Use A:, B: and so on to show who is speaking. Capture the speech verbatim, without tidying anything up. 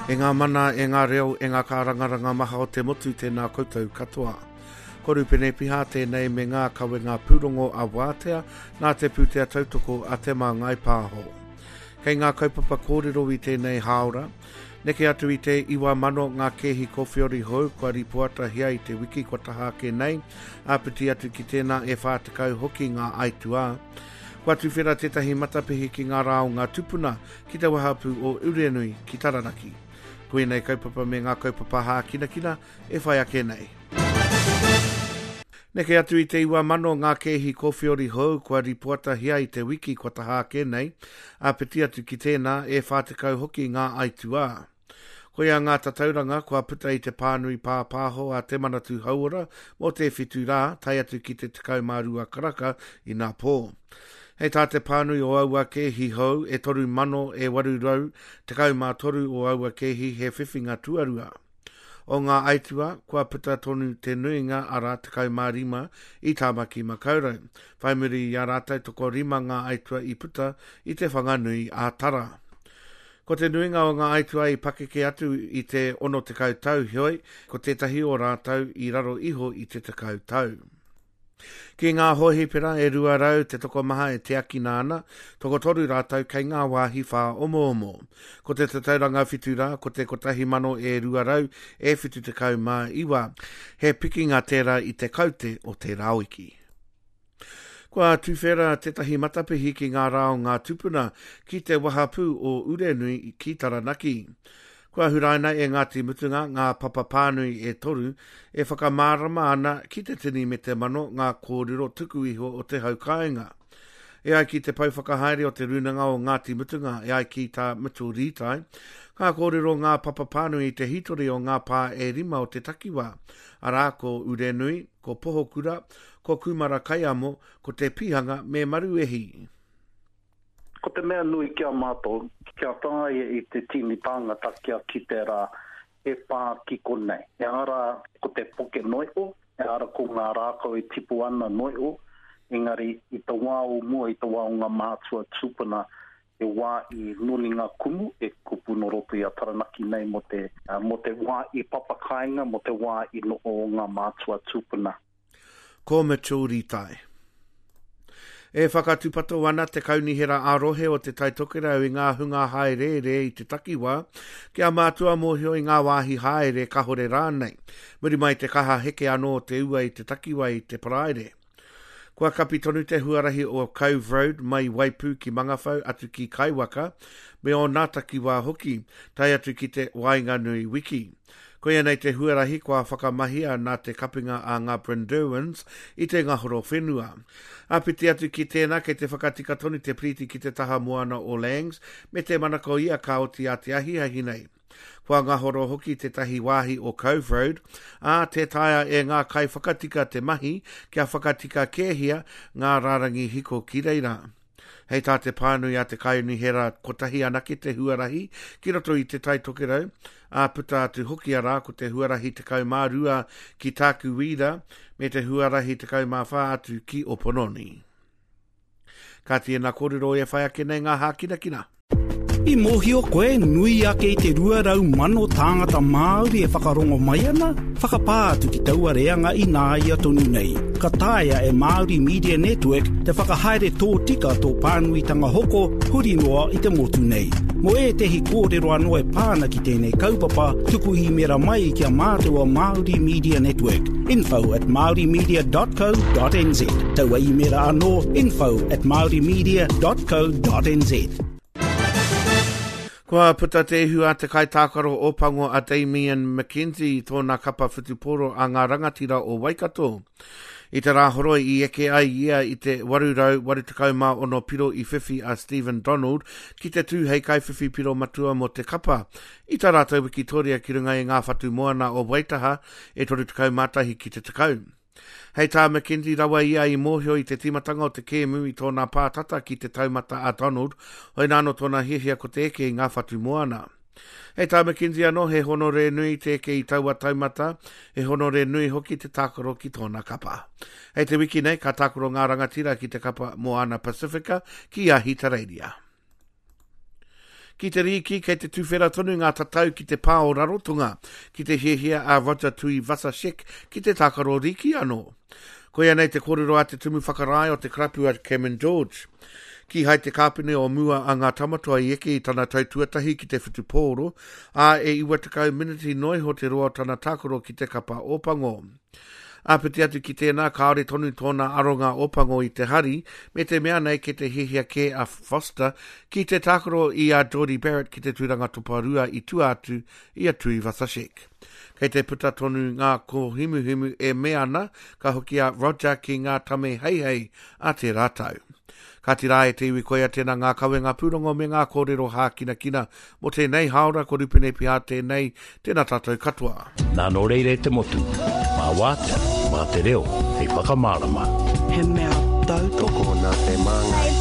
A: E ngā mana, e ngā reo, e ngā kārangaranga maha o te motu tēnā koutou katoa. Ko Rupene Piha tēnei me ngā kawenga pūrongo a Wātea nā te pūtea tautoko a Te Māngai Pāho. Kei ngā kaupapa kōrero i tēnei hāora, neke atu i te iwa mano ngā kēhi kōwhiori hou kua ripoatahia i te wiki kua taha ake nei, āpiti atu ki tēnā e whā tekau hoki ngā aituā. Kua tuwhera tētahi matapihi ki ngā rā o ngā tupuna ki te wahapū o Urenui ki Taranaki. Ko ēnei kaupapa me ngā kaupapa hākinakina e whai ake nei. Neke atu i te iwa mano ngā kēhi kōwhiori hou kua ripoatahia i te wiki kua taha ake nei, āpiti atu ki tēnā e whā tekau hoki ngā aituā. Koia ngā tatauranga kua puta i te pānui pāpāho a Te Manatū Hauora mō te whitu rā, tae atu ki te tekau mā rua karaka i nā pō. Hei tā te pānui o aua kēhi hou e toru mano e waru rau, tekau mā toru o aua kēhi he whiwhinga tuarua. O ngā aitua, kua puta tonu te nuinga arā tekau mā rima i Tāmaki Makaurau. Whai muri i a rātou toko rima ngā aitua i puta i te Whanganui a Tara. Ko te nuinga o ngā aitua i pakeke atu i te ono tekau tau heoi, ko tētahi o rātou i raro iho i te tekau tau. Ki ngā hōhipera e rua rau te tokomaha e tiakina ana, tokotoru rātou kei ngā wāhi whāomoomo. Ko te tatauranga whitu rā, ko te kotahi mano e rua rau e whitu tekau mā iwa. He pikinga tērā i te kaute o tērā wiki. Kua tuwhera tētahi matapihi ki ngā rā o ngā tupuna ki te wahapū o Urenui ki Taranaki. Kua huraina e Ngāti Mutunga ngā papa pānui e toru e whakamārama ana ki te tini me te mano ngā kōrero tuku iho o te hau kāinga. E ai ki te pau whakahaere o te rūnanga o Ngāti Mutunga, e ai ki tā Mitchell Rītai, ka kōrero ngā papa pānui i te hitori o ngā pā e rima o te takiwā, arā ko Urenui, ko Pohokura, ko Kumara Kaiamo, ko Te Pihanga me Maruehi.
B: Ko te mea nui ki a mātou, kia tāia i te tini tāngata kia ki te rā e pā ki konei. E ara ko te poke noio, e ara ko ngā rākau e tipu ana noio, engari i te wā o mua, i te wā o ngā mātua tūpuna, e wā i noni ngā kumu, e kupu no roto i a Taranaki nei mo te, mo te wā i papakainga, mo te wā i noho o ngā mātua tūpuna.
A: Ko Mitchell Rītai. E whakatūpato ana te kaunihera ā-rohe o te Tai Tokerau i ngā hunga haereere i te takiwā, kia mātua mōhio i ngā wāhi haere kahore rānei. Muri mai te kaha heke anō te ua i te takiwā i te paraire. Kua kapi tonu te huarahi o Cove Road mai Waipu ki Mangawhau atu ki Kaiwaka, me o nā takiwā hoki, tae atu ki te Waenganui wiki. Koia nei te huarahi kua whakamahia nā te kapinga a ngā Brynderwyns i te ngahoro whenua. Āpiti atu ki tēnā kei te whakatika tonu te piriti ki te taha moana o Langs me te manako ia ka oti a te ahiahi nei. Kua ngahoro hoki tētahi wāhi o Cove Road, ā tē taea e ngā kaiwhakatika te mahi kia whakatika kēhia ngā rārangi hiko ki reira. Hei tā te pānui a te kaunihera kotahi anake te huarahi ki roto i te Tai Tokerau, ā puta atu hoki arā ko te huarahi tekau mā rua ki Tākuwīra me te huarahi tekau mā whā atu ki Opononi. Ka tēnā kōrero e whai ake nei ngā hākinakina.
C: I mōhio koe nui ake i te rua rau mano tāngata Māori e whakarongo mai ana, whakapā atu ki taua reanga i nāia tonu nei. Ka taea e Māori Media Network te whakahaere tōtika tō pānuitanga hoko huri noa i te motu nei. Mō ētehi kōrero anō e pāna ki tēnei kaupapa, tuku īmera mai ki a mātou o Māori Media Network. Info at maorimedia dot co dot nz. Taua īmera anō, info at maorimedia dot co dot nz.
A: Kua puta te ihu a te kaitākaro o Pango a Damien McKenzie i tōna kapa whutupōro a ngā rangatira o Waikato. I te rāhoroi i eke ai ia i te waru rau waru tekau mā ono piro i whiwhi a Stephen Donald ki te tū hei kaiwhiwhi piro matua mō te kapa. I tā rātou wikitoria ki runga i ngā whatu moana o Waitaha e toru tekau mā tahi ki te tekau. Hei tā McKenzie rawa ia i mōhio i te tīmatanga o te kēmu i tōna pātata ki te taumata a Donald, hoi nāno tōna hiahia ko te eke i ngā whatu moana. Hei tā McKenzie anō, he honore nui te eke i taua taumata, he honore nui hoki te tākaro ki tōna kapa. Hei te wiki nei, ka tākaro ngā rangatira ki te kapa Moana Pasifika ki Ahitereiria. Ki te rīki, kei te tuwhera tonu ngā tatau ki te pā o Rarotonga, ki te hiahia a Roger Tuivasa-Sheck ki te tākaro rīki anō. Koia nei te kōrero a te tumu whakarae o te karapu a Cameron George. Kīhai te kāpene o mua a ngā tamatoa i eke i tana tau tuatahi ki te whutupōro, ā e iwa tekau miniti noa iho te roa o tana tākaro ki te kapa Ōpango. Āpiti atu ki tēnā, kāore tonu tōna aronga Ōpango i te hari, me te mea nei kei te hiahia kē a Foster ki te tākaro i a Jordie Barrett ki te tūranga toparua i tua atu i a Tuivasa-Sheck. Kei te puta tonu ngā kōhimuhimu e mea ana ka hoki a Roger ki ngā tame heihei a tērā tau. Kāti rā e te iwi koia tēnā ngā kawenga pūrongo me ngā kōrero hākinakina mō tēnei hāora ko Rupene Pihā tēnei, tēnā tātou katoa.
C: Nā nō reira e te motu, mā wātea, mā te reo, hei whakamārama.
D: He mea tautoko.
E: Tokona te māngai.